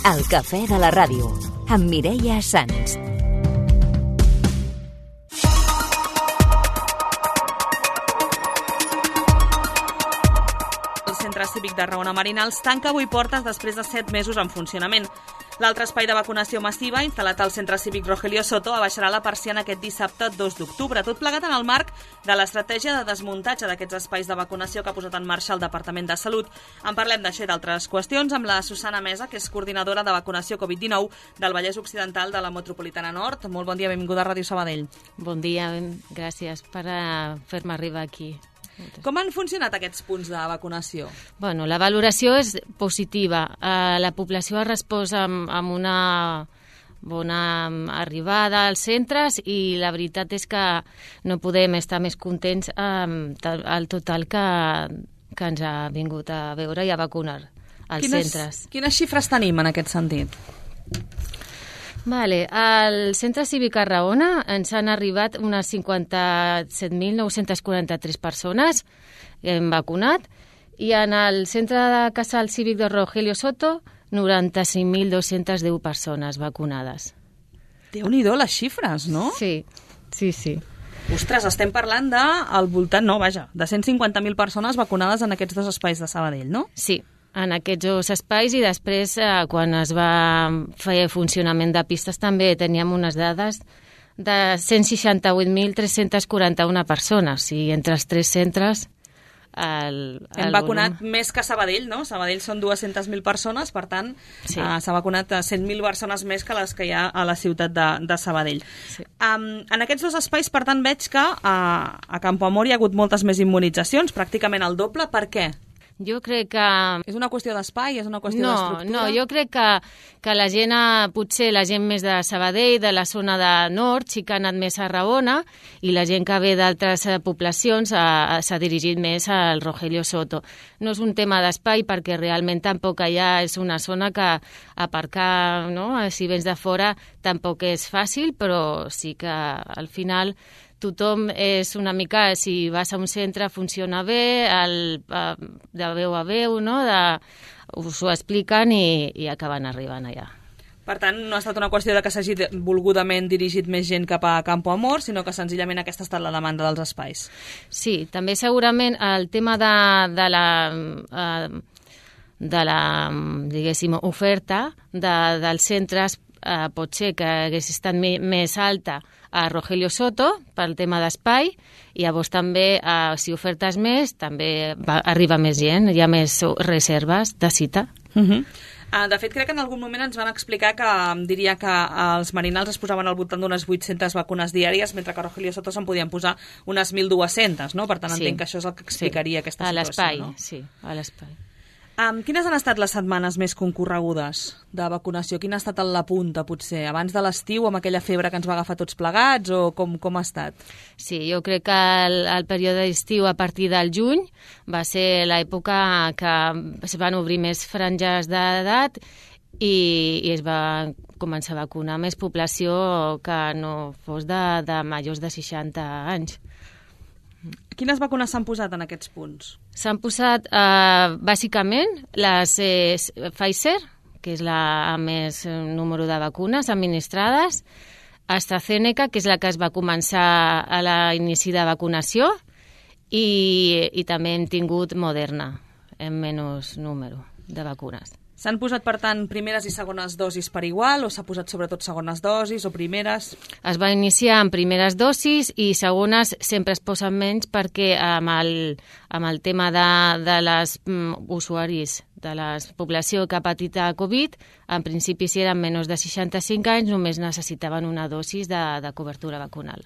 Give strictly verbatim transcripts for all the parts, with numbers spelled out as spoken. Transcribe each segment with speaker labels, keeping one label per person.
Speaker 1: El cafè de la ràdio, amb Mireia Sans.
Speaker 2: El Centre Cívic de Raona Marinals tanca avui portes després de set mesos en funcionament. L'altre espai de vacunació massiva, instal·lat al Centre Cívic Rogelio Soto, abaixarà la persiana aquest dissabte dos d'octubre, tot plegat en el marc de l'estratègia de desmuntatge d'aquests espais de vacunació que ha posat en marxa el Departament de Salut. En parlem d'això i d'altres qüestions amb la Susana Mesa, que és coordinadora de vacunació covid dinou del Vallès Occidental de la Metropolitana Nord. Molt bon dia, benvinguda a Ràdio Sabadell.
Speaker 3: Bon dia, gràcies per uh, fer-me arribar aquí.
Speaker 2: Com han funcionat aquests punts de vacunació?
Speaker 3: Bueno, la valoració és positiva. Uh, la població ha respost amb, amb una bona arribada als centres i la veritat és que no podem estar més contents amb el total que, que ens ha vingut a veure i a vacunar als
Speaker 2: quines,
Speaker 3: centres.
Speaker 2: Quines xifres tenim en aquest sentit?
Speaker 3: Vale, al Centre Cívic a Raona ens han arribat unes cinquanta-set mil nou-cents quaranta-tres persones que hem vacunat i en el Centre de Casal Cívic de Rogelio Soto noranta-cinc mil dos-cents deu persones vacunades.
Speaker 2: Déu-n'hi-do les xifres, no?
Speaker 3: Sí, sí, sí.
Speaker 2: Ostres, estem parlant de, al voltant, no, vaja, de cent cinquanta mil persones vacunades en aquests dos espais de Sabadell, no?
Speaker 3: Sí, en aquests dos espais i després, eh, quan es va fer funcionament de pistes, també teníem unes dades de cent seixanta-vuit mil tres-cents quaranta-una persones i entre els tres centres el, el
Speaker 2: hem vacunat
Speaker 3: volum...
Speaker 2: més que Sabadell, no? Sabadell són dues-centes mil persones, per tant, sí. uh, s'ha vacunat cent mil persones més que les que hi ha a la ciutat de, de Sabadell. Sí. Um, en aquests dos espais, per tant, veig que uh, a Campoamor hi ha hagut moltes més immunitzacions, pràcticament el doble. Per què?
Speaker 3: Jo crec que...
Speaker 2: És una qüestió d'espai? És una qüestió
Speaker 3: no,
Speaker 2: d'estructura?
Speaker 3: No, jo crec que, que la gent, potser la gent més de Sabadell, de la zona de nord, sí que ha anat més a Raona, i la gent que ve d'altres poblacions s'ha dirigit més al Rogelio Soto. No és un tema d'espai perquè realment tampoc allà és una zona que aparcar, no? Si vens de fora tampoc és fàcil, però sí que al final... Tothom és una mica, si vas a un centre funciona bé, el, de veu a veu, no? De, us ho expliquen i, i acaben arribant allà.
Speaker 2: Per tant, no ha estat una qüestió de que s'hagi volgudament dirigit més gent cap a Campoamor, sinó que senzillament aquesta ha estat la demanda dels espais.
Speaker 3: Sí, també segurament el tema de, de la... Eh, de la, diguéssim, oferta de, dels centres eh, pot ser que hagués estat me, més alta a Rogelio Soto pel tema d'espai i llavors també, eh, si ofertes més, també va, arriba més gent, hi ha més reserves de cita.
Speaker 2: Uh -huh. uh, de fet, crec que en algun moment ens van explicar que diria que els marinals es posaven al voltant d'unes vuit-centes vacunes diàries, mentre que a Rogelio Soto se'n podien posar unes mil dues-centes, no? Per tant,
Speaker 3: sí.
Speaker 2: entenc que això és el que explicaria sí. aquesta
Speaker 3: a
Speaker 2: situació.
Speaker 3: l'espai,
Speaker 2: no?
Speaker 3: sí, a l'espai.
Speaker 2: Um, quines han estat les setmanes més concorregudes de vacunació? Quina ha estat la punta, potser? Abans de l'estiu, amb aquella febre que ens va agafar tots plegats, o com, com ha estat?
Speaker 3: Sí, jo crec que el, el període d'estiu, a partir del juny, va ser l'època que es van obrir més franges d'edat i, i es va començar a vacunar més població que no fos de, de majors de seixanta anys.
Speaker 2: Quines vacunes s'han posat en aquests punts?
Speaker 3: S'han posat, eh, bàsicament, les eh, Pfizer, que és la amb més número de vacunes administrades, AstraZeneca, que és la que es va començar a l'inici de vacunació, i, i també hem tingut Moderna, en menys número de vacunes.
Speaker 2: S'han posat, per tant, primeres i segones dosis per igual, o s'ha posat sobretot segones dosis o primeres?
Speaker 3: Es va iniciar amb primeres dosis i segones sempre es posen menys perquè amb el, amb el tema de, de les um, usuaris de la població que ha patit a Covid, en principi si eren menys de seixanta-cinc anys només necessitaven una dosis de, de cobertura vacunal.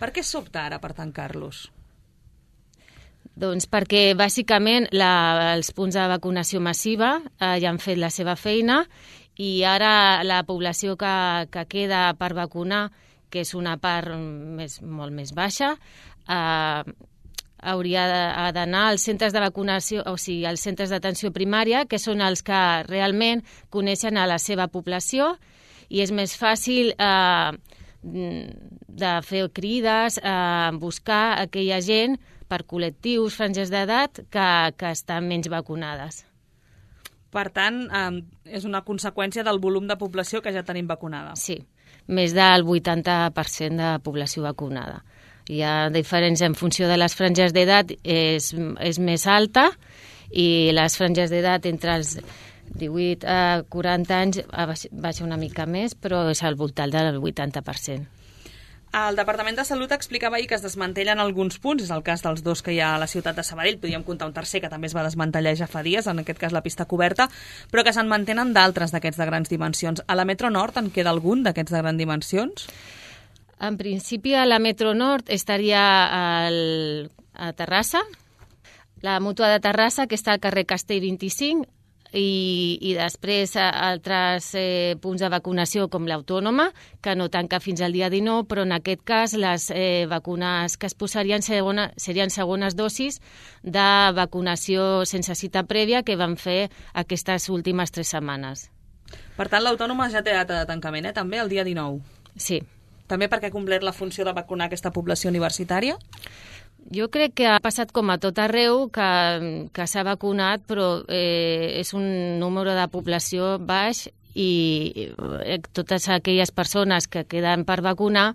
Speaker 2: Per què s'opta ara per tancar-los?
Speaker 3: Doncs perquè, bàsicament, la, els punts de vacunació massiva eh, ja han fet la seva feina i ara la població que, que queda per vacunar, que és una part més, molt més baixa, eh, hauria d'anar als centres de vacunació, o sigui, als centres d'atenció primària, que són els que realment coneixen a la seva població i és més fàcil eh, de fer crides, eh, buscar aquella gent per col·lectius, franges d'edat, que, que estan menys vacunades.
Speaker 2: Per tant, eh, és una conseqüència del volum de població que ja tenim vacunada.
Speaker 3: Sí, més del vuitanta per cent de població vacunada. Hi ha diferents en funció de les franges d'edat, és, és més alta, i les franges d'edat entre els divuit a quaranta anys baixa una mica més, però és al voltant del vuitanta per cent.
Speaker 2: El Departament de Salut explicava ahir que es desmantellen alguns punts, és el cas dels dos que hi ha a la ciutat de Sabadell, podríem comptar un tercer que també es va desmantellar ja fa dies, en aquest cas la pista coberta, però que se'n mantenen d'altres d'aquests de grans dimensions. A la Metro Nord en queda algun d'aquests de grans dimensions?
Speaker 3: En principi a la Metro Nord estaria al, a Terrassa, la mútua de Terrassa, que està al carrer Castell vint-i-cinc, i, i després altres eh, punts de vacunació com l'Autònoma, que no tanca fins al dia dinou, però en aquest cas les eh, vacunes que es posarien segona, serien segones dosis de vacunació sense cita prèvia que van fer aquestes últimes tres setmanes.
Speaker 2: Per tant, l'Autònoma ja té data de tancament, eh? També el dia dinou.
Speaker 3: Sí.
Speaker 2: També perquè ha complert la funció de vacunar aquesta població universitària?
Speaker 3: Jo crec que ha passat com a tot arreu, que, que s'ha vacunat, però eh, és un número de població baix i eh, totes aquelles persones que queden per vacunar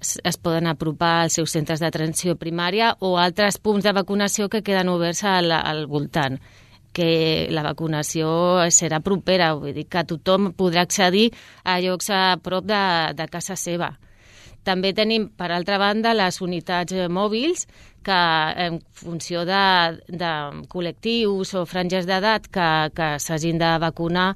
Speaker 3: es, es poden apropar als seus centres d'atenció primària o altres punts de vacunació que queden oberts al, al voltant, que la vacunació serà propera, vull dir que tothom podrà accedir a llocs a prop de, de casa seva. També tenim, per altra banda, les unitats mòbils que, en funció de, de col·lectius o franges d'edat que, que s'hagin de vacunar,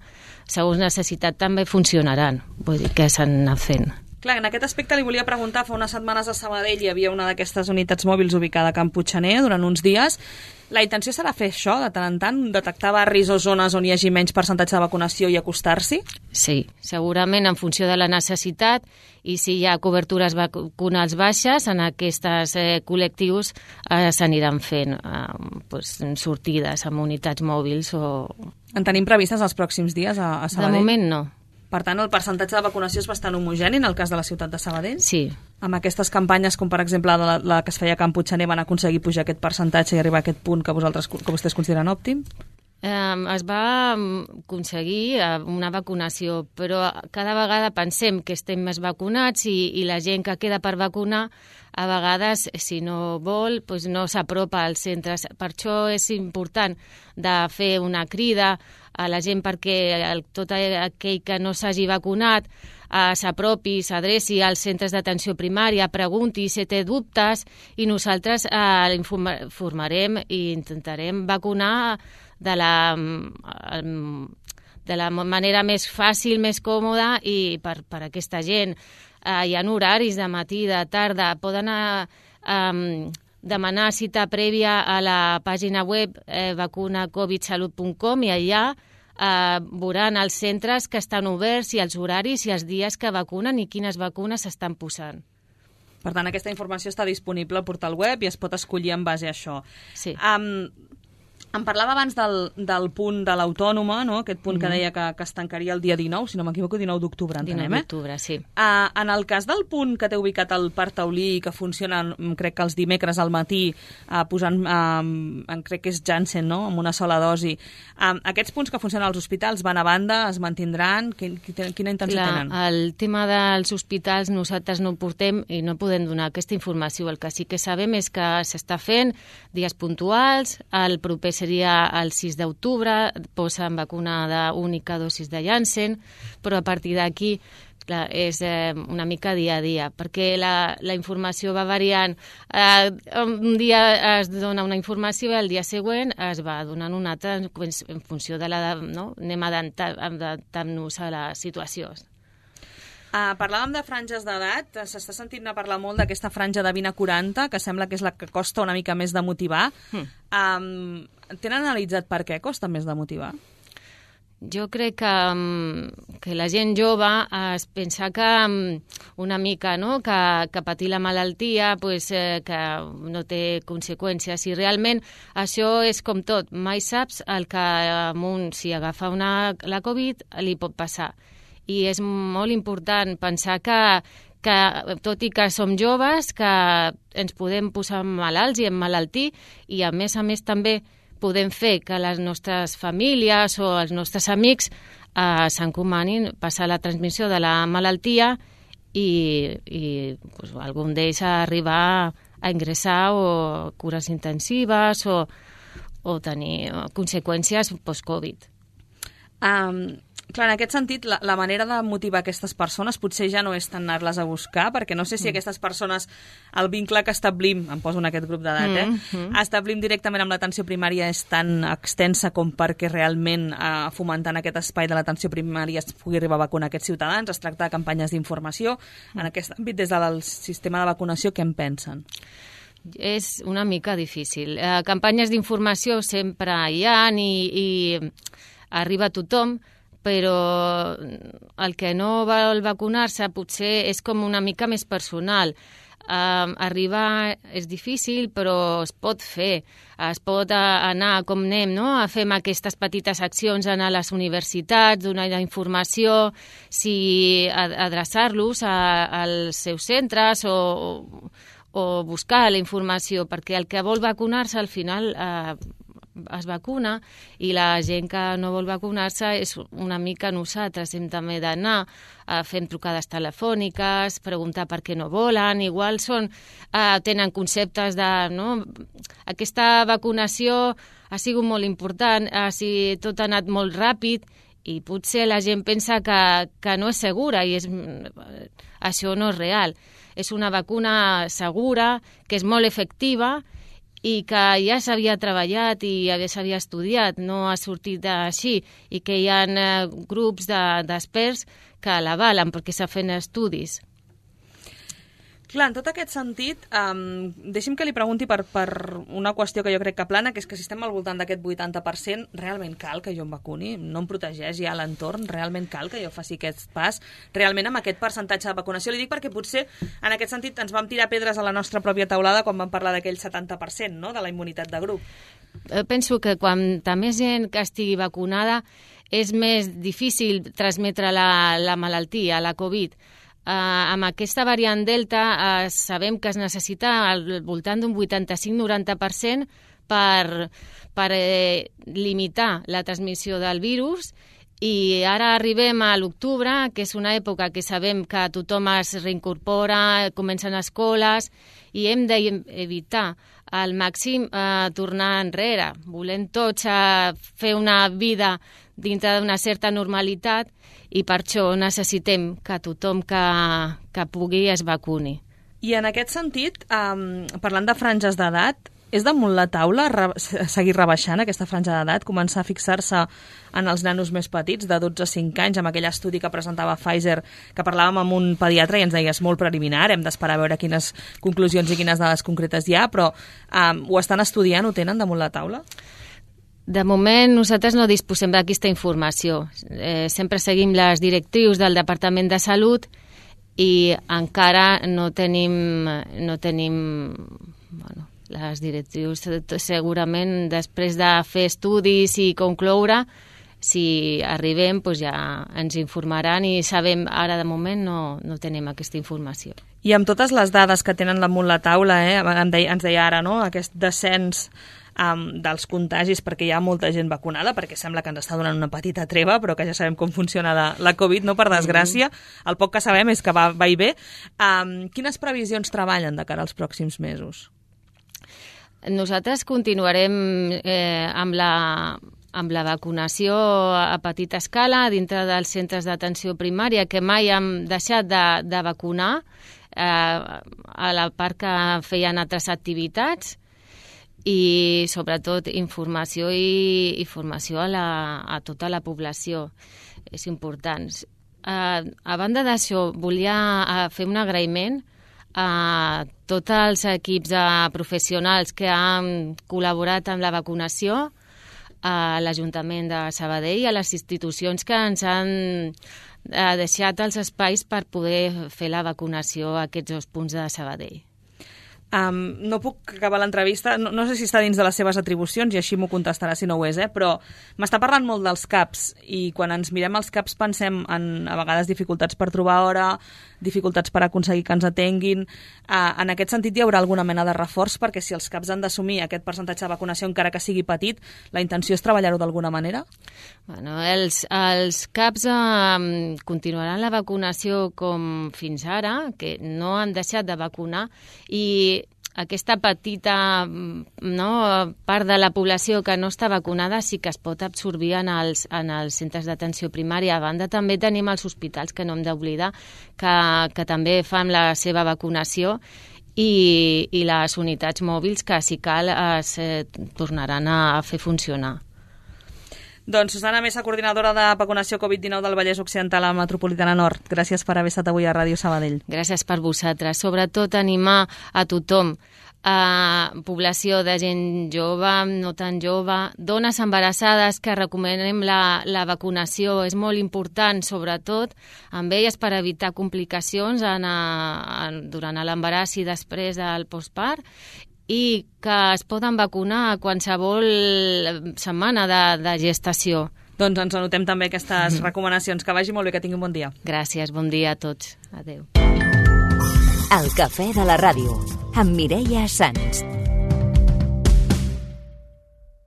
Speaker 3: segons necessitat, també funcionaran. Vull dir que s'han anat fent.
Speaker 2: Clar, en aquest aspecte li volia preguntar, fa unes setmanes a Sabadell hi havia una d'aquestes unitats mòbils ubicada a Can Puiggener durant uns dies. La intenció serà fer això, de tant en tant, detectar barris o zones on hi hagi menys percentatge de vacunació i acostar-s'hi?
Speaker 3: Sí, segurament en funció de la necessitat, i si hi ha cobertures vacunals baixes, en aquests eh, col·lectius eh, s'aniran fent eh, pues, sortides amb unitats mòbils. O...
Speaker 2: En tenim previstes els pròxims dies a, a Sabadell?
Speaker 3: De moment no.
Speaker 2: Per tant, el percentatge de vacunació és bastant homogeni en el cas de la ciutat de Sabadell?
Speaker 3: Sí.
Speaker 2: Amb aquestes campanyes, com per exemple la, la que es feia a Can Puiggener, van aconseguir pujar aquest percentatge i arribar a aquest punt que, vosaltres, que vostès consideren òptim?
Speaker 3: Eh, es va aconseguir una vacunació, però cada vegada pensem que estem més vacunats i, i la gent que queda per vacunar, a vegades, si no vol, doncs no s'apropa als centres. Per això és important de fer una crida a la gent perquè el, tot aquell que no s'hagi vacunat eh, s'apropi, s'adreci als centres d'atenció primària, pregunti si té dubtes i nosaltres eh, l'informarem i intentarem vacunar de la, de la manera més fàcil, més còmoda i per, per aquesta gent. Eh, hi ha horaris de matí, de tarda, poden eh, eh, demanar cita prèvia a la pàgina web eh, vacuna covid salut punt com i allà eh, veuran els centres que estan oberts i els horaris i els dies que vacunen i quines vacunes s'estan posant.
Speaker 2: Per tant, aquesta informació està disponible al portal web i es pot escollir en base a això.
Speaker 3: Sí.
Speaker 2: Um, Em parlava abans del, del punt de l'Autònoma, no? Aquest punt mm-hmm. que deia que, que es tancaria el dia dinou, si no m'equivoco, dinou d'octubre, entenem, eh?
Speaker 3: dinou d'octubre, sí.
Speaker 2: Uh, en el cas del punt que té ubicat al Parc Taulí, que funciona, crec que els dimecres al matí, uh, posant, uh, crec que és Janssen, no?, amb una sola dosi, uh, aquests punts que funcionen als hospitals van a banda, es mantindran? Quin, quina intenció
Speaker 3: Clar,
Speaker 2: tenen?
Speaker 3: El tema dels hospitals nosaltres no portem i no podem donar aquesta informació. El que sí que sabem és que s'està fent dies puntuals, el proper seria el sis d'octubre, posen vacunada única dosis de Janssen, però a partir d'aquí clar, és eh, una mica dia a dia, perquè la, la informació va variant. Eh, un dia es dona una informació i el dia següent es va donant una altra en funció de la... No? Anem adaptant-nos a les situacions.
Speaker 2: Uh, parlàvem de franges d'edat, s'està sentint a parlar molt d'aquesta franja de vint a quaranta, que sembla que és la que costa una mica més de motivar. Mm. Um, tenen analitzat per què costa més de motivar?
Speaker 3: Jo crec que, que la gent jove es pensa que una mica, no?, que, que patir la malaltia pues, eh, que no té conseqüències, i realment això és com tot, mai saps el que amb un, si agafa una, la Covid li pot passar. I és molt important pensar que, que tot i que som joves, que ens podem posar malalts i emmalaltir, i a més a més també podem fer que les nostres famílies o els nostres amics eh, s'encomanin passar la transmissió de la malaltia i, i pues, algun d'ells arribar a ingressar o cures intensives o, o tenir conseqüències post-Covid.
Speaker 2: Um, clar, en aquest sentit, la, la manera de motivar aquestes persones potser ja no és tant anar-les a buscar, perquè no sé si mm. aquestes persones, el vincle que establim, em poso en aquest grup d'edat, eh, mm -hmm. establim directament amb l'atenció primària és tan extensa com perquè realment eh, fomentant aquest espai de l'atenció primària es pugui arribar a vacunar aquests ciutadans. Es tracta de campanyes d'informació. Mm. En aquest àmbit, des del sistema de vacunació, què en pensen?
Speaker 3: És una mica difícil. Eh, campanyes d'informació sempre hi ha i, i arriba a tothom, però el que no vol vacunar-se potser és com una mica més personal. Uh, arribar és difícil, però es pot fer. Es pot anar, com anem, no? A fer aquestes petites accions, anar a les universitats, donar la informació, si adreçar-los als seus centres o, o buscar la informació, perquè el que vol vacunar-se al final uh, es vacuna i la gent que no vol vacunar-se és una mica nosaltres. Hem també d'anar a fer trucades telefòniques, preguntar per què no volen, igual són, eh, tenen conceptes de... No? Aquesta vacunació ha sigut molt important, ha sigut, tot ha anat molt ràpid i potser la gent pensa que, que no és segura i és, això no és real. És una vacuna segura, que és molt efectiva i que ja s'havia treballat i s'havia estudiat, no ha sortit així, i que hi ha eh, grups d'experts de, que l'avalen perquè s'ha fet estudis.
Speaker 2: Clar, en tot aquest sentit, um, deixi'm que li pregunti per, per una qüestió que jo crec que plana, que és que si estem al voltant d'aquest vuitanta per cent, realment cal que jo em vacuni? No em protegeix ja l'entorn? Realment cal que jo faci aquest pas? Realment amb aquest percentatge de vacunació? Li dic perquè potser en aquest sentit ens vam tirar pedres a la nostra pròpia taulada quan vam parlar d'aquell setanta per cent, no?, de la immunitat de grup.
Speaker 3: Penso que quanta més gent que estigui vacunada és més difícil transmetre la, la malaltia, la Covid. Uh, amb aquesta variant Delta uh, sabem que es necessita al voltant d'un vuitanta-cinc a noranta per cent per, per eh, limitar la transmissió del virus, i ara arribem a l'octubre, que és una època que sabem que tothom es reincorpora, comencen escoles, i hem d'evitar al màxim eh, tornar enrere. Volem tots eh, fer una vida dintre d'una certa normalitat i per això necessitem que tothom que, que pugui es vacuni.
Speaker 2: I en aquest sentit, um, parlant de franges d'edat, és damunt la taula re seguir rebaixant aquesta franja d'edat, començar a fixar-se en els nanos més petits, de dotze a cinc anys, amb aquell estudi que presentava Pfizer, que parlàvem amb un pediatre i ens deia és molt preliminar, hem d'esperar a veure quines conclusions i quines dades concretes hi ha, però um, ho estan estudiant, ho tenen damunt la taula?
Speaker 3: De moment nosaltres no disposem d'aquesta informació. Eh, sempre seguim les directrius del Departament de Salut i encara no tenim, no tenim bueno, les directrius. Segurament després de fer estudis i concloure, si arribem doncs ja ens informaran i sabem, ara de moment no, no tenim aquesta informació.
Speaker 2: I amb totes les dades que tenen damunt la taula, eh, ens deia ara, no?, aquest descens Um, dels contagis, perquè hi ha molta gent vacunada, perquè sembla que ens està donant una petita treva, però que ja sabem com funciona la, la Covid, no, per desgràcia. El poc que sabem és que va, va i ve. Um, quines previsions treballen de cara als pròxims mesos?
Speaker 3: Nosaltres continuarem eh, amb la amb la vacunació a petita escala dintre dels centres d'atenció primària, que mai hem deixat de, de vacunar, eh, a la part que feien altres activitats, i sobretot informació i, i formació a, la, a tota la població. És important. A, a banda d'això, volia fer un agraïment a tots els equips de professionals que han col·laborat amb la vacunació, a l'Ajuntament de Sabadell i a les institucions que ens han deixat els espais per poder fer la vacunació a aquests dos punts de Sabadell.
Speaker 2: Um, no puc acabar l'entrevista, no, no sé si està dins de les seves atribucions i així m'ho contestarà si no ho és, eh? Però m'està parlant molt dels C A Ps i quan ens mirem els C A Ps pensem en a vegades dificultats per trobar hora, dificultats per aconseguir que ens atenguin. Uh, en aquest sentit hi haurà alguna mena de reforç perquè si els C A Ps han d'assumir aquest percentatge de vacunació encara que sigui petit, la intenció és treballar-ho d'alguna manera?
Speaker 3: Bueno, els, els C A Ps eh, continuaran la vacunació com fins ara, que no han deixat de vacunar, i aquesta petita no, part de la població que no està vacunada sí que es pot absorbir en els, en els centres d'atenció primària. A banda, també tenim els hospitals, que no hem d'oblidar, que, que també fan la seva vacunació, i, i les unitats mòbils que, si cal, es eh, tornaran a fer funcionar.
Speaker 2: Doncs Susana Mesa, coordinadora de vacunació covid dinou del Vallès Occidental a Metropolitana Nord. Gràcies per haver estat avui a Ràdio Sabadell.
Speaker 3: Gràcies per vosaltres. Sobretot animar a tothom, a població de gent jove, no tan jove, dones embarassades, que recomanem la, la vacunació. És molt important, sobretot, amb elles per evitar complicacions en a, en, durant l'embaràs i després del postpart, i que es poden vacunar a qualsevol setmana de, de gestació.
Speaker 2: Doncs ens anotem també aquestes mm. recomanacions. Que vagi molt bé, que tingui un bon dia.
Speaker 3: Gràcies, bon dia a tots. Adéu.
Speaker 1: El cafè de la ràdio, amb Mireia Sans.